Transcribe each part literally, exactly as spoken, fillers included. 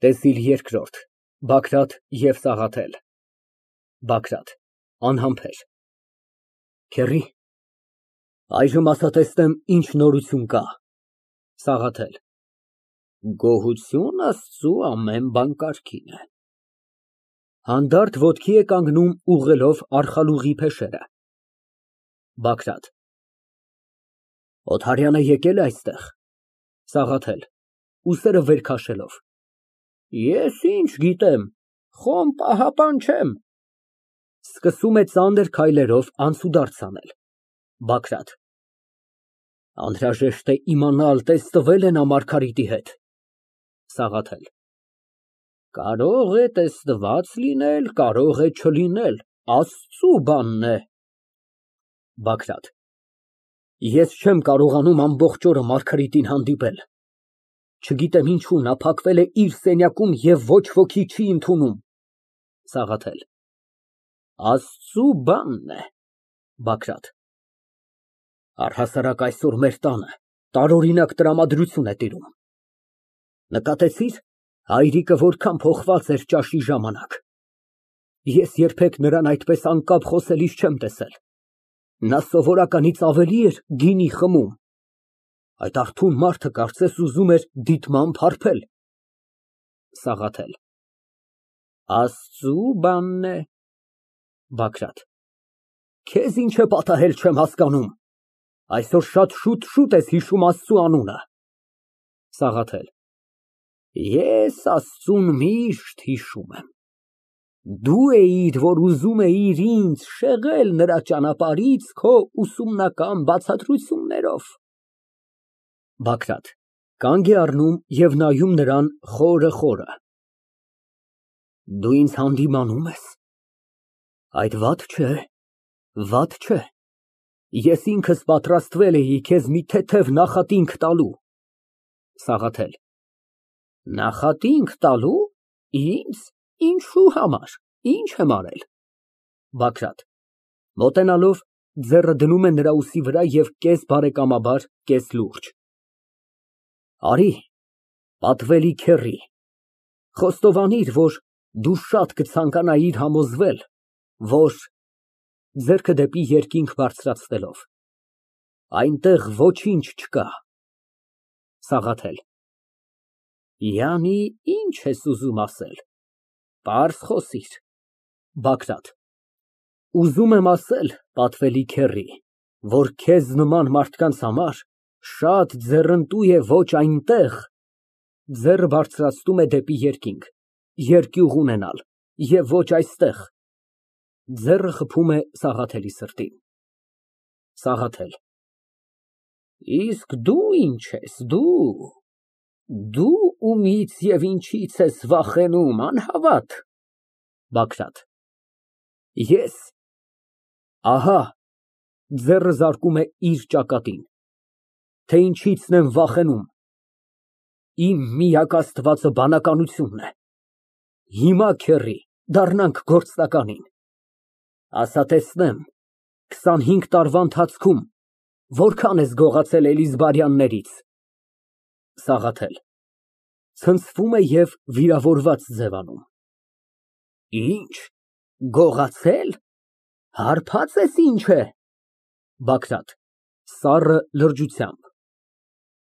ՏԵՍԻԼ ԵՐԿՐՈՐԴ ԲԱԳՐԱՏ ԵՎ ՍԱՂԱԹԵԼ ԲԱԳՐԱՏ ֊ (Անհամբեր) Քեռի, այժմ ասա տեսնեմ, ինչ նորություն կա։ ՍԱՂԱԹԵԼ ֊ Գոհություն Աստծու, ամեն բան կարգին է։ (Հանդարտ ոտքի է կանգնում, ուղղելով արխալուղի փեշերը)։ ԲԱԳՐԱՏ ֊ Օթարյանն եկե՞լ է այստեղ։ ՍԱՂԱԹԵԼ ֊ (Ուսերը վեր քաշելով) Ես ինչ գիտեմ, խոմ պահապան չեմ։ (Սկսում է ծանր քայլերով անցուդարձ անել)։ ԲԱԳՐԱՏ ֊ Անհրաժեշտ է իմանալ, տեսնվե՞լ է նա Մարգարիտի հետ։ ՍԱՂԱԹԵԼ ֊ Կարող է տեսնված լինել, կարող է չլինել, Աստծու բանն է։ ԲԱԳՐԱՏ ֊ Ես չեմ կարողանում ամբողջ օրը Մարգարիտին հանդիպել։ Չգիտեմ ինչու, նա փակվել է իր սենյակում և ոչ ոքի չի ընդունում։ ՍԱՂԱԹԵԼ ֊ Աստծու բանն է։ ԲԱԳՐԱՏ ֊ Առհասարակ այսօր մեր տանը տարօրինակ տրամադրություն է տիրում։ Նկատեցի՞ր, հայրիկը որքան փոխված էր ճաշի ժամանակ։ Ես երբեք նրան այդպես անկապ խոսելիս չեմ տեսել։ Նա սովորականից ավելի էր գինի խմում։ Այդ արթուն մարդը կարծես ուզում էր դիտմամբ հարբել։ ՍԱՂԱԹԵԼ ֊ Աստծու բանն է։ ԲԱԳՐԱՏ ֊ Քեզ ինչ է պատահել, չեմ հասկանում։ Այսօր շատ շուտ ես հիշում Աստծու անունը։ ՍԱՂԱԹԵԼ ֊ Ես Աստծուն միշտ հիշում եմ։ Դու էիր, որ ուզում էիր ինձ շեղել նրա ճանապարհից քո ուսումնական բացատրություններով։ ԲԱԳՐԱՏ ֊ (Կանգ է առնում և նայում նրան խորը։ Դու ինձ հանդիմանո՞ւմ ես։ Այդ վատ չէ, վատ չէ։ Ես ինքս պատրաստվել էի քեզ մի թեթև նախատինք տալու։ ՍԱՂԱԹԵԼ ֊ Նախատինք տալո՞ւ, ինձ, ինչի համար, ինչ եմ արել։ ԲԱԳՐԱՏ ֊ (Մոտենալով, ձեռը դնում է նրա ուսի վրա և կես բարեկամաբար, կես լուրջ) Արի, պատվելի քեռի, խոստովանիր, որ դու շատ կցանկանայիր համոզվել, որ (Ձեռքը դեպի երկինք բարձրացնելով) այնտեղ ոչինչ չկա։ ՍԱՂԱԹԵԼ ֊ Յանի, ի՞նչ ես ուզում ասել, պարզ խոսիր։ ԲԱԳՐԱՏ ֊ Ուզում եմ ասել, պատվելի քեռի, որ քեզ նման մարդկանց համար շատ ձեռնտու է ոչ այնտեղ (Ձեռքը բարձրացնում է դեպի երկինք) երկյուղ ունենալ և ոչ այստեղ (Ձեռքը խփում է Սաղաթելի սրտին)։ ՍԱՂԱԹԵԼ ֊ Իսկ դու ինչ ես, դու, դու ումից և ինչից ես վախենում, անհավատ։ ԲԱԳՐԱՏ ֊ Ես, ահա (Ձեռքը զարկում է իր ճակատին) թե ինչիցն եմ վախենում, իմ միակ Աստվածը բանականությունն է։ Հիմա, քեռի, դառնանք գործնականին։ Ասա տեսնեմ, քսանհինգ տարվա ընթացքում որքա՞ն ես գողացել Էլիզբարյաններից։ ՍԱՂԱԹԵԼ ֊ (Ցնցվում է և վիրավորված ձևանում) Ինչ, գողացե՞լ, հարբած ես, ինչ է։ ԲԱԳՐԱՏ ֊ (Սառը լրջությամբ)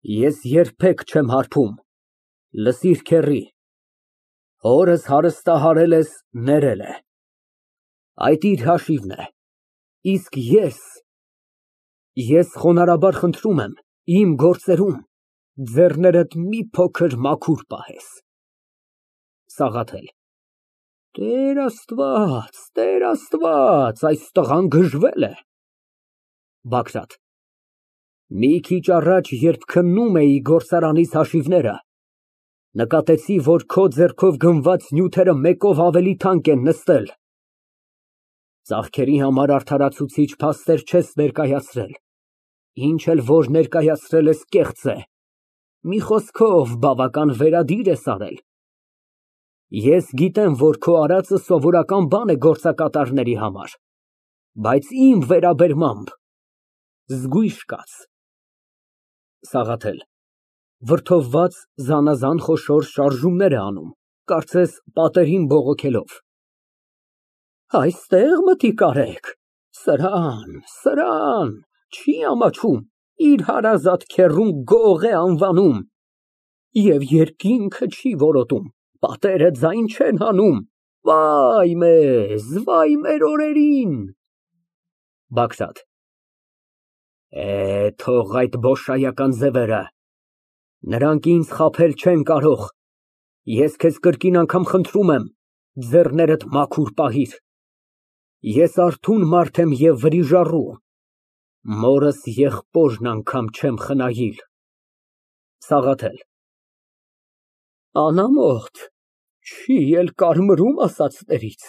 Ես երբեք չեմ հարբում, լսիր, քեռի, հորս հարստահարել ես, ներել է, այդ իր հաշիվն է, իսկ ես… Ես խոնարհաբար խնդրում եմ, իմ գործերում ձեռքերդ մի փոքր մաքուր պահես։ ՍԱՂԱԹԵԼ ֊ Տեր Աստված, Տեր Աստված, այս տղան գժվել է։ ԲԱԳՐԱՏ ֊ Մի քիչ առաջ, երբ քննում էի գործարանիս հաշիվները, նկատեցի, որ քո ձեռքով գնված նյութերը մեկով ավելի թանկ են նստել։ Ծախքերի համար արդարացուցիչ փաստեր չես ներկայացրել, ինչ էլ որ ներկայացրել ես, կեղծ է, մի խոսքով, բավական վերադիր ես արել։ Ես գիտեմ, որ քո արածը սովորական բան է գործակատարների համար, բայց իմ վերաբերմամբ զգույշ կաց։ ՍԱՂԱԹԵԼ ֊ Վրդովված, զանազան խոշոր շարժումներ է անում, կարծես պատերին բողոքելով)։ Այստեղ մտիկ արեք, սրան, սրան, չի ամաչում, իր հարազատ քեռուն գող է անվանում և երկինքը չի որոտում, պատերը ձայն չեն հանում, վայ մեզ, վայ մեր օրերին։ ԲԱԳՐԱՏ ֊ Է, թող այդ բոշայական ձևերը, նրանք ինձ խաբել չեն կարող, ես քեզ կրկին անգամ խնդրում եմ, ձեռքերդ մաքուր պահիր, ես արթուն մարդ եմ և վրիժառու, մորս եղբորն անգամ չեմ խնայիր։ ՍԱՂԱԹԵԼ ֊ Անամոթ, չի էլ կարմրում ասածներից։